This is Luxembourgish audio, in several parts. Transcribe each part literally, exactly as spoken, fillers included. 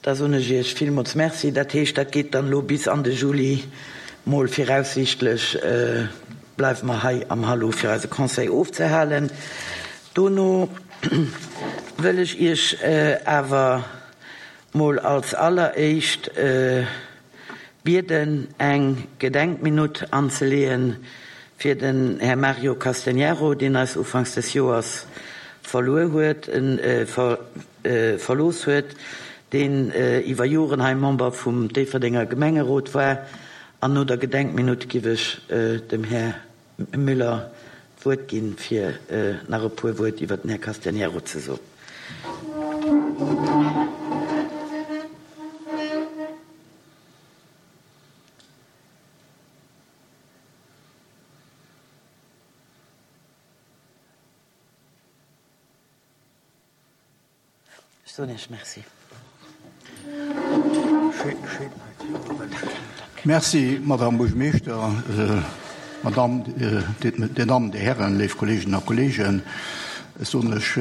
Da soen ech Iech villmools Merci. Dat heescht, dat geet dann elo bis an de Juli mol viraussiichtlech, bleiwe mer hei am Hallo fir eise Conseil ofzehalen. Dono wëll ech Iech awer mol als alleréischt bieden, eng Gedenkminutt anzeleeën fir den Här Mario Castegnaro, deen eis ufanks des Joers verluer huet, verlooss huet, deen iwwer Joren hei Member vum Déifferdenger Gemengerot war. An no der Gedenkminutt giff ech dem Här Müller d'Wuert ginn, fir nach e puer Wuert iwwer den Här Castegnaro ze soen. Ech soen Iech Merci. Merci, Madame Buergermeeschter, Madame, Dir Dammen, Dir Hären, léif Kolleeginnen a Kolleegen. Ech soen lech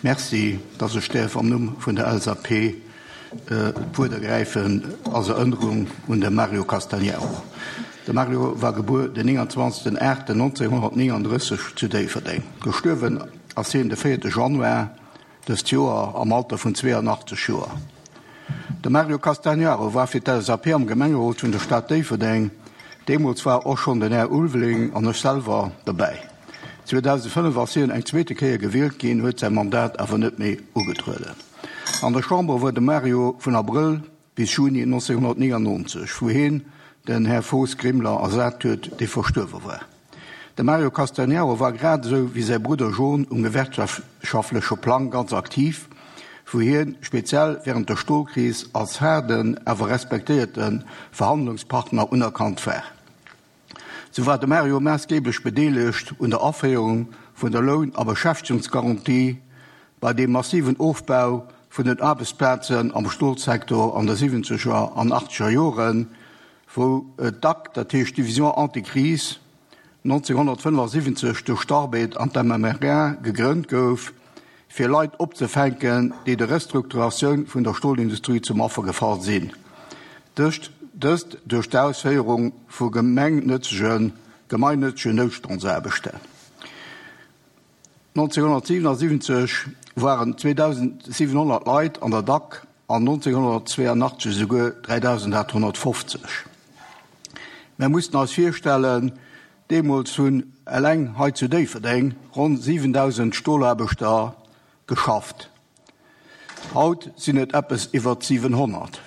Merci, dass ech däerf am Numm vun der L S A P d'Wuert ergräifen als Erënnerung un de Mario Castagnaro. De Mario war gebuer den nénganzwanzegsten aachten nonzénhonnertnénganddrësseg zu Déifferdeng. Gestuerwen ass hien de véierte Januar dëst Joer am Alter vun zweeanachtzeg Joer. De Mario Castagnaro war fir d'L S A P am Gemengerot vun der Stad Déifferdeng. Deemools war och schonn den Här Ulveling an ech selwer dobäi. zweedausendfënnef ass hien eng zweete Kéier gewielt ginn, huet säi Mandat awer net méi ugetrueden. An der Chamber war de Mario vun Abrëll bis Juni nonzénhonnertnéngannonzeg, wou hien den Här Fos Grimler ersat huet, dee verstuerwe war. De Mario Castagnaro war grad esou wéi säi Brudder John um gewerkschaftleche Plang ganz aktiv, wou hien speziell wärend der Stolkris als haarden, awer respektéierte Verhandlungspartner unerkannt war. Sou war de Mario maassgeeblech bedeelegt un der Aféierung vun der Loun a Beschäftegungsgarantie bei deem massiven Ofbau vun den Aarbechtsplazen am Stolsektor an de siwwenzeger an achtzeger Joren, wou d'D A C, dat heescht Division Anticrise, nonzénhonnertfënnefasiwwenzeg duerch d'Arbed an d'M M R A gegrënnt gouf, fir Leit opzefänken, déi der Restrukturatioun vun der Stolindustrie zum Affer gefall sinn. Dëst duerch d'Ausféierung vu gemengnëtzegen gemeinnëtzegen Noutstandsaarbechten. nonzénhonnertsiwenasiwwenzeg waren zweedausendsiwenhonnert Leit an der D A C an nonzénhonnertzweeanachtzeg esouguer dräidausendaathonnertfofzeg. Mir mussen eis virstellen, deemools hunn eleng hei zu Déifferdeng ronn siwendausend Stolaarbechter geschafft. Haut sinn et eppes iwwer siwenhonnert.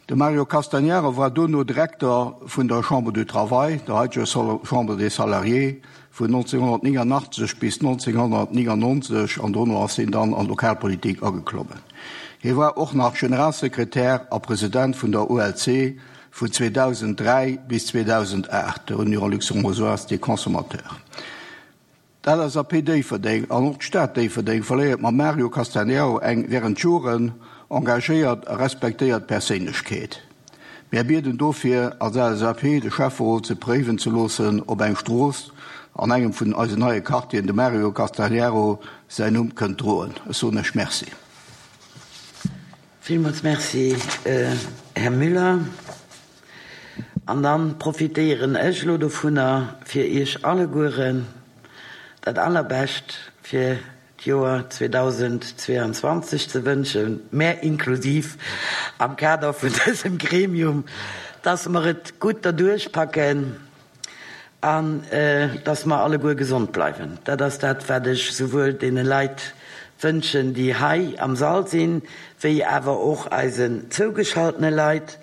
De Mario Castagnaro war dono Direkter vun der Chambre du Travail, der haiteger Chambre des Salariés, vun nonzénhonnertnénganachtzeg bis nonzénhonnertnéngannonzeg an dono ass hien dann an d'Lokalpolitik ageklommen. Hie war och nach Generalsekretär a President vun der U L C vun zweedausendräi bis zweedausendaacht, der Union luxembourgeoise des consommateurs. D'L S A P Déifferdeng an och d'Stad Déifferdeng verléiert mam Mario Castagnaro eng wärend Joren engagéiert a respektéiert Perséinlechkeet. Mir bieden dofir als L S A P de Schäfferot ze préiwen ze loossen, ob eng Strooss an engem vun eisen neie Quartieren de Mario Castagnaro säin Numm kënnt droen. Ech soen lech Merci. Villmools Merci, Här Müller. An dann profitéieren ech elo dovunner, fir Iech allegueren dat Allerbescht fir d'Joer zweedausendzweeanzwanzeg ze wënschen, mär inklusiv am Kader vun dësem Gremium, dass mer et gutt derduerch packen an dass mer alleguer gesond bleiwen. Dat ass dat, wat ech souwuel deene Leit wënschen, déi hei am Sall sinn, wéi awer och eisen zougeschaltene Leit,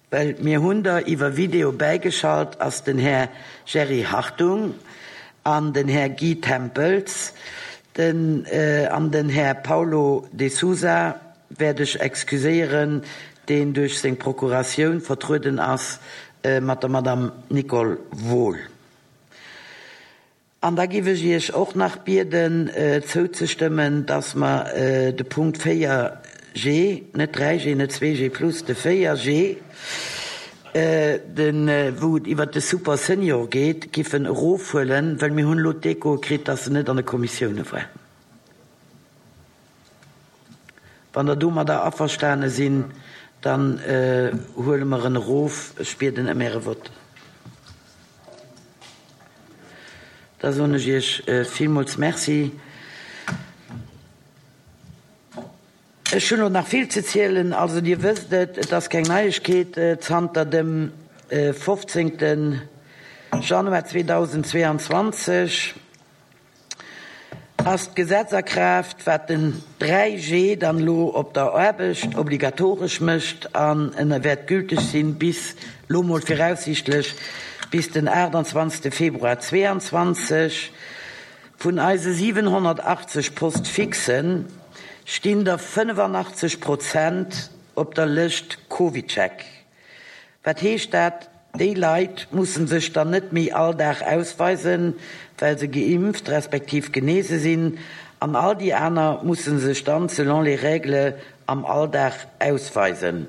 well mir hunn der iwwer Video bäigeschalt ass den Här Jerry Hartung an den Här Guy Tempels den an den Här Paulo de Sousa wäert ech excuséieren, deen duerch seng Procuratioun vertrueden ass mat der Madame Nicole Wohl. An da giff ech Iech och nach bieden zouzestëmmen, dass mer de Punkt véier G, net dräi G, net zwee G plus, de véier G, de wou et iwwert de Super Senior geet, giffen erofhuelen, well mir hunn elo d'Echo kritt, dass en net an de Kommissioune war. Wann Der domadder averstane sinn, dann huele mer en erof. Ech bieden ëm Äre Vott. Da soen ech Iech villmools Merci. Ech hunn elo nach vill ze zielen. Also Dir wësst et, et ass keng Neiegkeet, zanter dem fofzéngte Januar zweedausendzweeanzwanzeg ass d'Gesetz a Kraaft, wat den dräi G dann elo op der Aarbecht obligatoresch mécht an en wäert gülteg sinn bis, elo mol viraussiichtlech, bis den aachtanzwanzegste Februar zweeanzwanzeg. Vun eise siwenhonnertachtzeg Poste-fixen stinn der fënnefannachtzeg Prozent op der Lëscht CovidCheck. Wat heescht dat? Déi Leit musse sech dann net méi all Dag ausweisen, well se geimpft respektiv genese sinn, an all déi aner musse sech dann selon les règles am Alldag ausweisen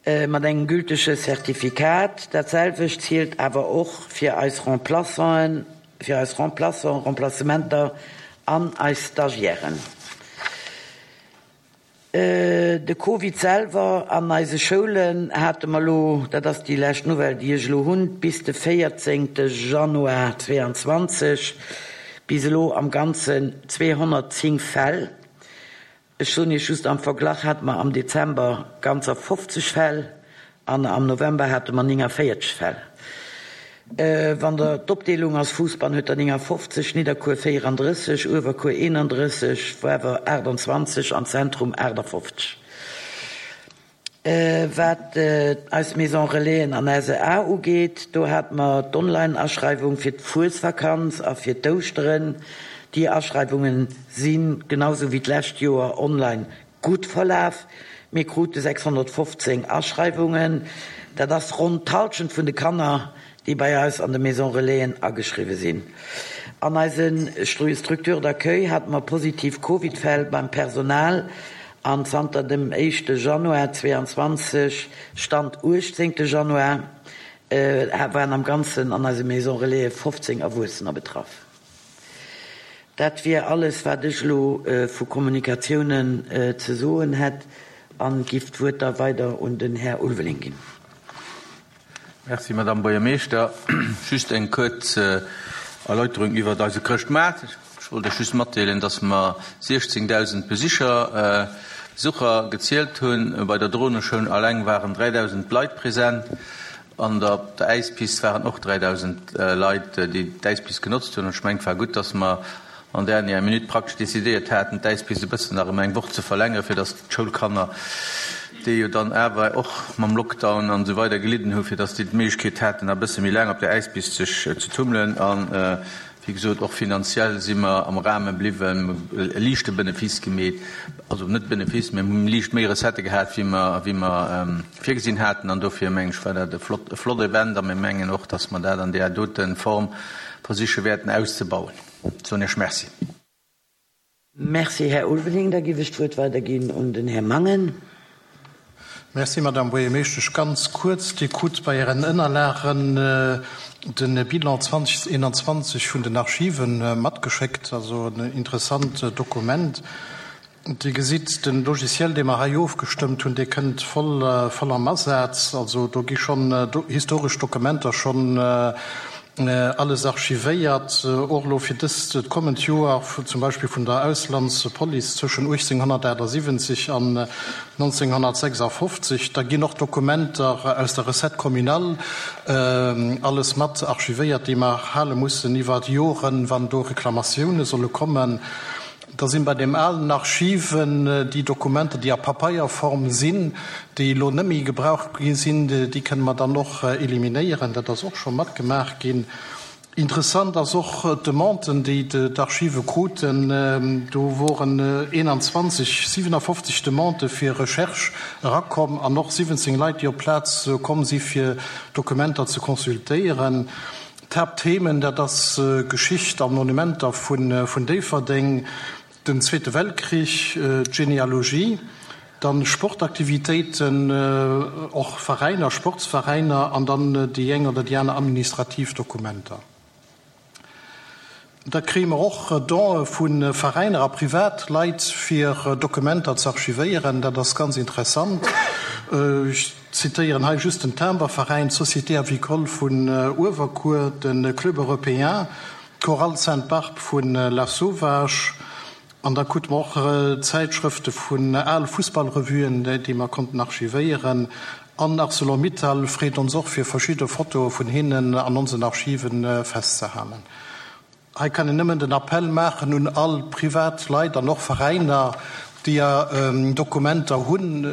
mat engem gültege Certificat. Dat selwecht zielt awer och fir eis Remplaçanten, fir eis Remplaçants, Remplacementer an eis Stagiairen. De Covid selwer, an eise Schoulen hate mer elo, dat ass déi lescht Nouvelle, déi ech elo hunn, bis de véierzéngte Januar zweeanzwanzeg bis elo am Ganzen zweehonnertzéng Fäll. Ech soen Iech just, am Verglach hate mer am Dezember ganzer fofzeg Fäll an am November hate mer néngavéierteg Fäll. Wann Der d'Opdeelung ass, Fousbann huet der néngafofzeg, Nidderkuer véierandrësseg, Uewerkuer eenandrësseg, Woarwer aachtanzwanzeg an Zentrum aachtafofzeg. Wat eis Maison Relaisen an S E A ugeet, do hate mer d'Online-Aschreiwung fir d'Fuesvakanz a fir d'Ouschteren. Déi Aschreiwunge si genau sou wéi d'lescht Joer online gutt verlaf. Mir krute sechshonnertfofzéng Aschreiwungen. Dat ass ronn d'Hallschent vun de Kanner, déi bei eis an de Maison Relaisen ageschriwwe sinn. An eise Structures d'accueil hate mer positiv Covid-Fäll beim Personal an zanter dem éischte Januar zweeanzwanzeg, Stand uechtzéngte Januar, waren am Ganzen an eise Maison Relaisen fofzéng Erwuessener betraff. Dat wier alles, wat ech elo vu Kommunikatiounen ze soen hätt, an giff d'Wuert da weider un den Här Ulveling ginn. Merci, Madame Buergermeeschter. Just eng kuerz Erläuterung iwwert eise Chrëschtmaart. Ech wollt Iech just matdeelen, dass mer siechzéngdausend Besicher, Besucher gezielt hunn. Bei der Droneshow alleng waren dräidausend Leit present. An der, op der Äispist waren och dräidausend Leit, déi d'Äispist genotzt hunn. An ech mengen, et war gutt, dass mer an dernière Minute praktesch decidéiert haten, d'Äispist e bëssen nach ëm eng Woch ze verlängeren, fir dass d'Schoulkanner, déi jo dann awer och mam Lockdown an esou weider gelidden hu, fir dass déi d'Méiglechkeet haten, nach e bësse méi laang op der Äispist sech ze tummelen. An, wéi gesot, och finanziell si mer am Rahme bliwwen, e liichte Benefice gemeet, also net Benefice, mä mir hu liicht méi Recettë gehat, wéi mer, wéi mer virgesinn haten. An dofir, meng ech, war dat e flott, e flott Event a mir mengen och, dass mer dat an där dote Form versiche wäerten auszebauen. Soen Iech Merci. Merci, Här Ulveling. Da géif ech d'Wuert weiderginn un den Här Mangen. Merci, Madame Buergermeeschtesch. Ganz kuerz, Dir krut bei Ären Ënnerlagen de Bilan zweedausendeenanzwanzeg vun den Archiven matgeschéckt, also en interessant Dokument. Dir gesitt, de Logiciel, dee mer hei ofgestëmmt hunn, dee kënnt voll, voll am Asaz. Also do gi schonn historesch Dokumenter schonn alles archivéiert, och elo fir dëst kommend Joer, zum Beispill vun der Auslandspolice zwëschen uechtzénghonnertaachtsiwwenzeg an nonzénghonnertsechsafofzeg. Da ginn och Dokumenter aus der Recette communale alles mat archivéiert, déi mer hale mussen iwwer Joren, wann do Reklamatioune solle kommen. Da sinn bei deem alen Archiven déi Dokumenter, déi a Papeierform sinn, déi elo net méi gebraucht gi sinn, déi kënne mer dann och eliminéieren. Dat ass och scho matgemaach ginn. Interessant ass och d'Demanden, déi d'Archive kruten. Do woren eenanzwanzeg, siwenafofzeg Demandë fir Recherche erakomm an och siwwenzéng Leit, déi op d'Plaz komm si fir Dokumenter ze consultéieren. D'Haaptthemen, dat ass Geschicht a Monumenter vun Déifferdeng, den Zweete Weltkrich, d'Genealogie, dann Sportaktivitéiten, och Veräiner, Sportsveräiner an dann déi eng oder déi aner administrativ Dokumenter. Da kréie mer och Donë vu Veräiner a Privatleit, fir Dokumenter ze archivéieren. Dat ass ganz interessant. Ech zitéieren hei just den Timberveräin, d'Société avicole vun Uewerkuer, de Club européen, d'Chorale Sainte-Barbe vu Lasauvage. An da krute mer och Zäitschrëfte vun al Fussballrevuen, déi mer konnten archivéieren. An Arcelor-Mittal freet ons och, fir verschidde Fotoe vun hinnen an onsen Archive festzehalen. Hei kann een nëmmen den Appell maachen un all privat Leit an och Veräiner, déi Dokumenter hunn,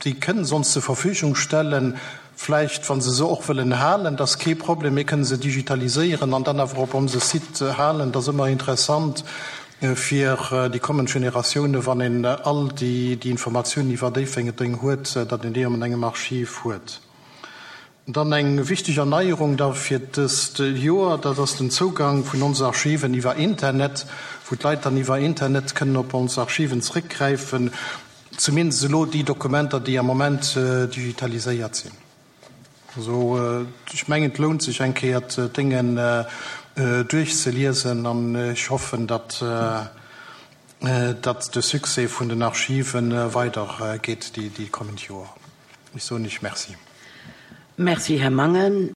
déi kënnen se ons zur Verfügung stellen, vläicht wa se se och wëllen halen, dat ass kee Problem, mir kënnen se digitaliséieren an dann awer op onse Site halen. Dat ass ëmmer interessant fir déi kommend Generatiounen, wann een all déi Informatiounen iwwer Déifferdeng huet, datt een déi an engem Archiv huet. Dann eng wichteg Erneierung da fir dëst Joer, dat ass den Zougang vun onse Archiven iwwer Internet, wou d'Leit dann iwwer Internet kënnen op ons Archiven zréckgräifen, zumindest elo déi Dokumenter, déi am Moment digitaliséiert sinn. Also ech mengen, et lount sech eng Kéier d'Déngen duerchzeliesen an ech hoffen, datt datt de Succès vun den Archive weidergeet déi kommend Joer. Ech soen Iech Merci. Merci, Här Mangen.